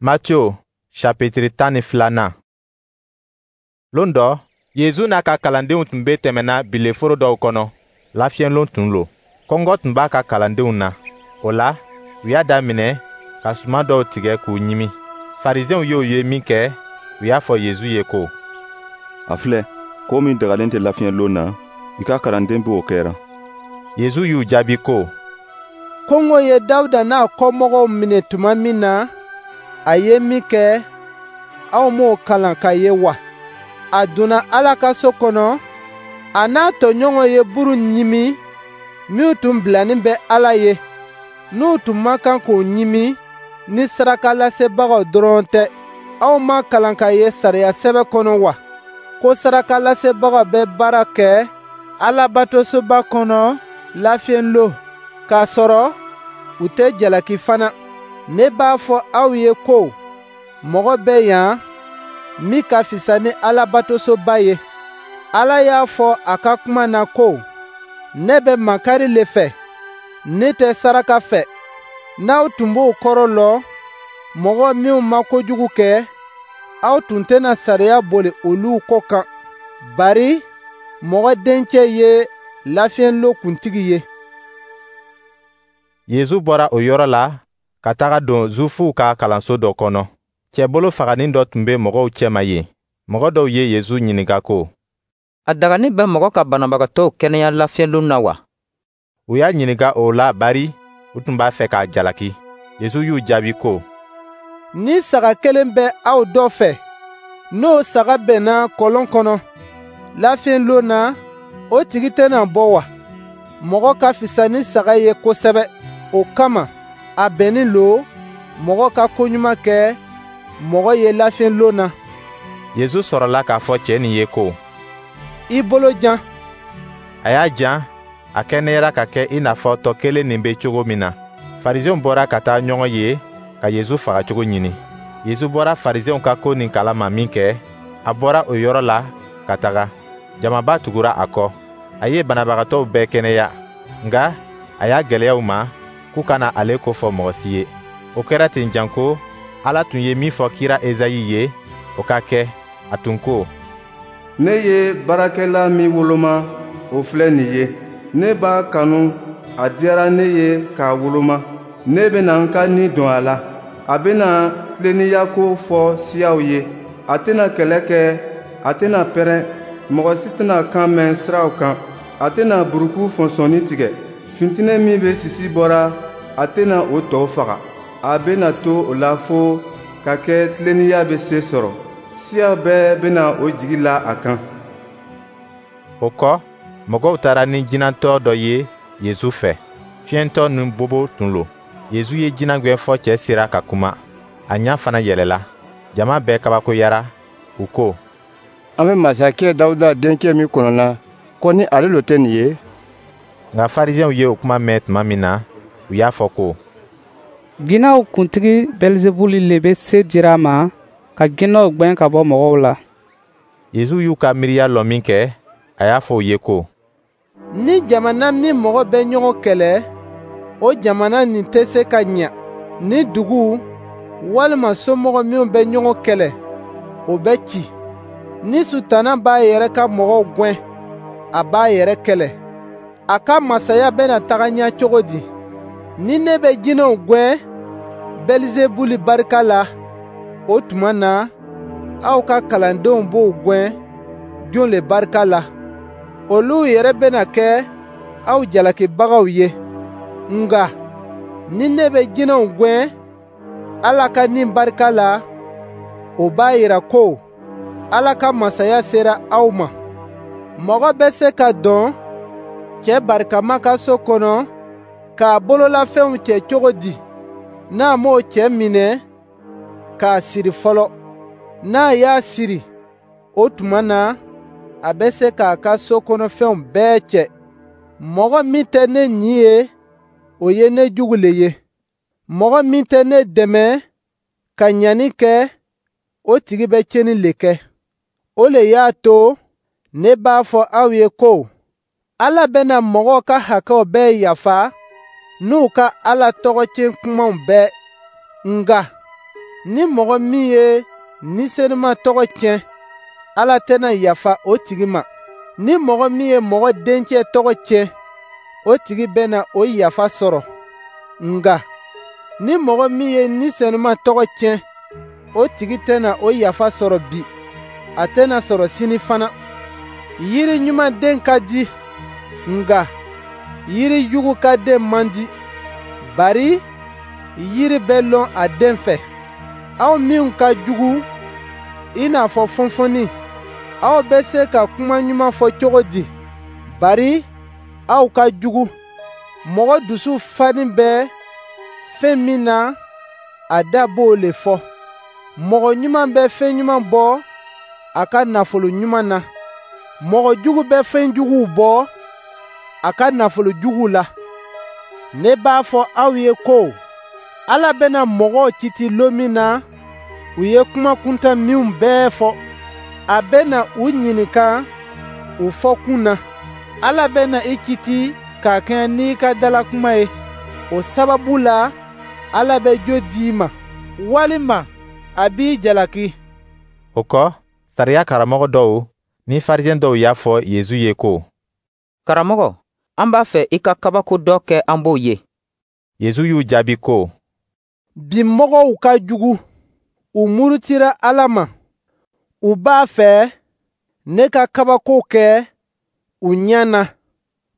Matthieu chapitre 12nan. Lon dɔ, Yezu n'a ka kalandenw tun bɛ tɛmɛna bileforo dɔw kɔnɔ. Lafiyɛnlon tun lo. Kɔngɔ tun b'a ka kalandenw na. O la, u y'a daminɛ ka suman dɔw tigɛ k'u ɲimi. Farisiɛnw y'o ye minkɛ, u y'a fɔ Yezu ye ko: «A filɛ, ko min dagalen tɛ lafiyɛnlon na, i ka kalanden b'o kɛra.» Yezu y'u jaabi ko: «Kɔngɔ ye Dawuda n'a kɔmɔgɔw minɛ tuma min na, a ye min kɛ, aw m'o kalan k'a ye wa? A donna Ala ka so kɔnɔ, a n'a tɔɲɔgɔnw ye buru ɲimi minw tun bilanin bɛ Ala ye, n'u tun man kan k'o ɲimi ni sarakalasebagaw dɔrɔn tɛ. Aw ma kalan k'a ye sariya sɛbɛ kɔnɔ wa, ko sarakalasebagaw bɛ baara kɛ Alabatosoba kɔnɔ lafiyɛnlon, k'a sɔrɔ u tɛ jalaki fana? Ne b'a fɔ aw ye ko mɔgɔ bɛ yan min ka fisa ni Alabatosoba ye. Ala y'a fɔ a ka kuma na ko: Ne bɛ makari le fɛ, ne tɛ saraka fɛ. N'aw tun b'o kɔrɔ lɔn, mɔgɔ minw ma kojugu kɛ, aw tun tɛna sariya boli olu ko kan. Bari Mɔgɔ Dencɛ ye lafiyɛnlon kuntigi ye.» Yezu bɔra o yɔrɔ la ka taga don Zuwifuw ka kalanso dɔ kɔnɔ. Cɛbolo faganin dɔ tun bɛ mɔgɔw cɛma yen. Mɔgɔ dɔw ye Yezu ɲininka ko: «A daganin bɛ mɔgɔ ka banabagatɔw kɛnɛya lafiyɛnlon na wa?» U y'a ɲininka o la bari u tun b'a fɛ k'a jalaki. Yezu y'u jaabi ko: «Ni saga kelen bɛ aw dɔ fɛ, n'o saga bɛnna kɔlɔn kɔnɔ lafiyɛnlon na, o tigi tɛna bɔ wa? Mɔgɔ ka fisa ni saga ye kosɛbɛ. O kama, a bɛnnin lo mɔgɔ ka koɲuman kɛ mɔgɔ ye lafiyɛnlon na.» Yezu sɔrɔla k'a fɔ cɛ nin ye ko: «I bolo jan.» A y'a jan, a kɛnɛyara ka kɛ i n'a fɔ tɔ kelen nin bɛ cogo min na. Farisiɛnw bɔra ka taa ɲɔgɔn ye ka Yezu fagacogo ɲini. Yezu bɔra Farisiɛnw ka ko nin kalama minkɛ, a bɔra o yɔrɔ la ka taga. Jamaba tugura a kɔ. A ye banabagatɔw bɛɛ kɛnɛya, nka a y'a gwɛlɛya u ma k'u kana ale ko fɔ mɔgɔ si ye. O kɛra ten janko Ala tun ye min fɔ kira Ezayi ye, o ka kɛ. A tun ko: «Ne ye baarakɛla min woloma, o filɛ nin ye. Ne b'a kanu, a diyara ne ye k'a woloma. Ne bɛna n ka ni don a la. A bɛna tilennenya ko fɔ siyaw ye. A tɛna kɛlɛ kɛ, a tɛna pɛrɛn. Mɔgɔ si tɛna kan mɛn siraw kan. A tɛna buruku fɔnsɔnni tigɛ. Fintinɛ min bɛ sisi bɔra, a tɛna o tɔ faga. A bɛna to o la fo ka kɛ tilennenya bɛ se sɔrɔ. Siyaw bɛɛ bɛna o jigi la a kan.» O kɔ, mɔgɔw taara ni jinɛtɔ dɔ ye Yezu fɛ. Fiyɛntɔ ni bobo tun lo. Yezu ye jinɛ gwɛn fɔ cɛ sera ka kuma. A ɲa fana yɛlɛla. Jama bɛɛ kabakoyara. U ko: «An bɛ masakɛ Dawuda denkɛ min kɔnɔna, ko ni ale lo tɛ nin ye?» Nka Farisiɛnw ye o kuma mɛn tuma min na, u y'a fɔ ko: «Jinɛw kuntigi Bɛlizebuli le bɛ se dira a ma ka jinɛw gwɛn ka bɔ mɔgɔw la.» Yezu y'u ka miiriya lɔn minkɛ, a y'a fɔ u ye ko: «Ni jamana min mɔgɔ bɛ ɲɔgɔn kɛlɛ, o jamana nin tɛ se ka ɲa. Ni dugu walima somɔgɔ minw bɛ ɲɔgɔn kɛlɛ, o bɛ ci. Ni Sutana b'a yɛrɛ ka mɔgɔw gwɛn, a b'a yɛrɛ kɛlɛ. A ka masaya bɛna taga ɲɛ cogo di? Ni ne bɛ jinɛw gwɛn Bɛlizebuli barika la, o tuma na, aw ka kalandenw b'o gwɛn jon le barika la? Olu yɛrɛ bɛna kɛ aw jalakibagaw ye. Nka ni ne bɛ jinɛw gwɛn Ala ka Ni barika la, o b'a yira ko Ala ka masaya sera aw ma. Mɔgɔ bɛ se ka don cɛ barikama ka so kɔnɔ k'a bololafɛnw cɛ cogo di, n'a m'o cɛ minɛ k'a siri fɔlɔ? N'a y'a siri, o tuma na, a bɛ se k'a ka so kɔnɔfɛnw bɛɛ cɛ. Mɔgɔ min tɛ ne ɲin ye, o ye ne jugu le ye. Mɔgɔ min tɛ ne dɛmɛ ka ɲani kɛ, o tigi bɛ tiɲɛni le kɛ. O le y'a to ne b'a fɔ aw ye ko Ala bɛna mɔgɔw ka hakɛw bɛɛ yafa n'u ka Ala tɔgɔ tiɲɛ kumaw bɛɛ. Nka Ni mɔgɔ min ye Ni Senuma tɔgɔ tiɲɛ, Ala tɛna yafa o tigi ma. Ni mɔgɔ min ye Mɔgɔ Denkɛ tɔgɔ tiɲɛ, o tigi bɛna o yafa sɔrɔ. Nka ni mɔgɔ min ye Ni Senuma tɔgɔ tiɲɛ, o tigi tɛna o yafa sɔrɔ bi, a tɛna sɔrɔ sini fana. Yiri ɲuman den ka di, nka yiri jugu ka den man di. Bari yiri bɛ lɔn a den fɛ. Aw minw ka jugu i n'a fɔ fɔnfɔnni, aw bɛ se ka kuma ɲuman fɔ cogo di? Bari aw ka jugu. Mɔgɔ dusu fanin bɛ fɛn min na, a da b'o le fɔ. Mɔgɔ ɲuman bɛ fɛn ɲuman bɔ a ka nafolo ɲuman na. Mɔgɔ jugu bɛ fɛn juguw bɔ a ka nafolo juguw la. Ne b'a fɔ aw ye ko Ala bɛna mɔgɔw kiti lon min na, u ye kuma kuntan minw bɛɛ fɔ. A bɛna u ɲininka u fɔkun na. Ala bɛna i kiti ka kɛɲɛ n'i ka dalakuma ye. O sababu la, Ala bɛ jo di i ma, walima a b'i jalaki. O kɔ, sariya karamɔgɔ dɔw ni farisɛn dɔw y'a fɔ Yezu ye ko: Karamɔgɔ, an b'a fɛ i ka kabako dɔ kɛ an b'o ye. Yezu y'u jaabi ko: Bi mɔgɔw ka jugu, u murutira Ala ma. U b'a fɛ ne ka kabako kɛ u ɲɛ na,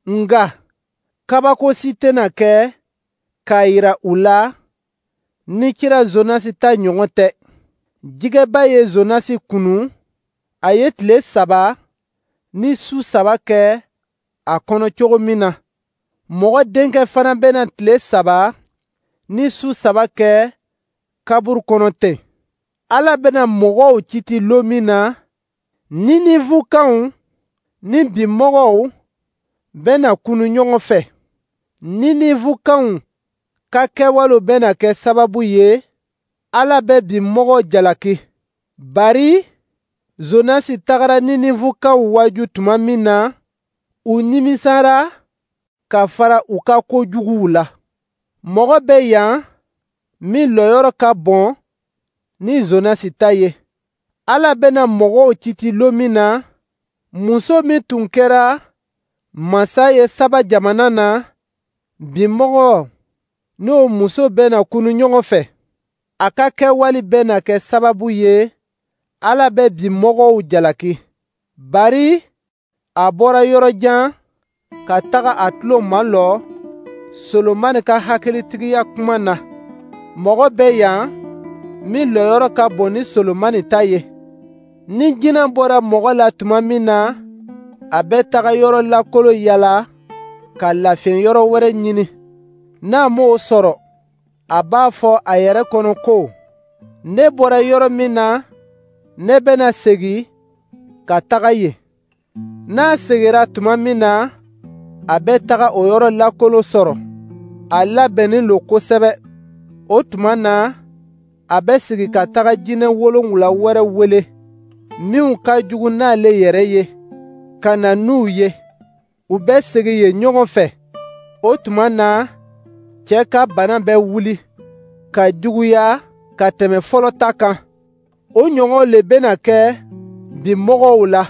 nka kabako si tɛna kɛ k'a yira u la ni kira Zonasi ta ɲɔgɔn tɛ. Jɛgɛba ye Zonasi kunu, a ye tile 3 ni su 3 kɛ a kɔnɔ cogo min na, Mɔgɔ Denkɛ fana bɛna tile 3 ni su 3 kɛ kaburu kɔnɔ ten. Ala bɛna mɔgɔw kiti lon min na, Ninivukaw ni bi mɔgɔw bɛna kunu ɲɔgɔn fɛ. Ninivukaw ka kɛwalew bɛna kɛ sababu ye Ala bɛ bi mɔgɔw jalaki. Bari Zonasi tagara Ninivukaw waaju tuma min na, u nimisara ka fara u ka ko juguw la. Mɔgɔ bɛ yan min lɔyɔrɔ ka bon ni Zonasi ta ye. Ala bɛna mɔgɔw kiti lon min na, muso min tun kɛra masa ye Saba jamana na, bi mɔgɔ n'o muso bɛna kunu ɲɔgɔn fɛ. A ka kɛwale bɛna kɛ sababu ye Ala bɛ bi mɔgɔw jalaki. Bari a bɔra yɔrɔ jan ka taga a tulo malɔ Solomani ka hakilitigiya kuma na. Mɔgɔ bɛ yan min lɔyɔrɔ ka bon ni Solomani ta ye. Ni jinɛ bɔra mɔgɔ la tuma min na, a bɛ taga yɔrɔ lakolo yala ka lafiɲɛ yɔrɔ wɛrɛ ɲini. N'a m'o sɔrɔ, a b'a fɔ a yɛrɛ kɔnɔ ko: ne bɔra yɔrɔ min na, ne bɛna segin ka taga yen. N'a seginna tuma min na, a bɛ taga o yɔrɔ lakolo sɔrɔ. A labɛnnen lo kosɛbɛ. O tuma na, a bɛ sigi ka taga jinɛ 7 wɛrɛ wele, minw ka jugu n'ale yɛrɛ ye, ka na n'u ye. U bɛ segin yen ɲɔgɔn fɛ. O tuma na, cɛ ka bana bɛ wuli ka juguya ka tɛmɛ fɔlɔ ta kan. O ɲɔgɔn le bɛna kɛ bi mɔgɔw la.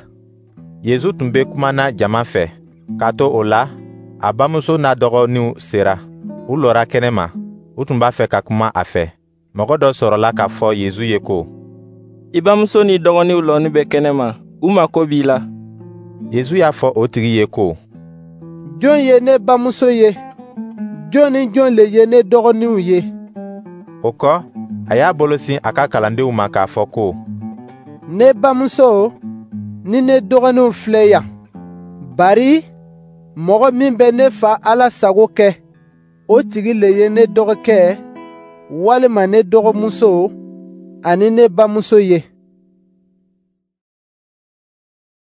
Yezu tun bɛ kuma na jama fɛ. K'a to o la, a bamuso n'a dɔgɔninw sera. U lɔra kɛnɛ ma. U tun b'a fɛ ka kuma a fɛ. Mɔgɔ dɔ sɔrɔla k'a fɔ Yezu ye ko: I bamuso ni dɔgɔninw lɔnin bɛ kɛnɛma, u mako b'i la. Yezu y'a fɔ o tigi ye ko: Jɔn ye ne bamuso ye? Jɔn ni jɔn le ye ne dɔgɔninw ye? O kɔ, a y'a bolo sin a ka kalandenw ma k'a fɔ ko: Ne bamuso ni ne dɔgɔninw filɛ yan. Bari mɔgɔ min bɛ ne fa Ala sago kɛ, o tigi le ye ne dɔgɔkɛ walima ne dɔgɔmuso ani ne bamuso ye.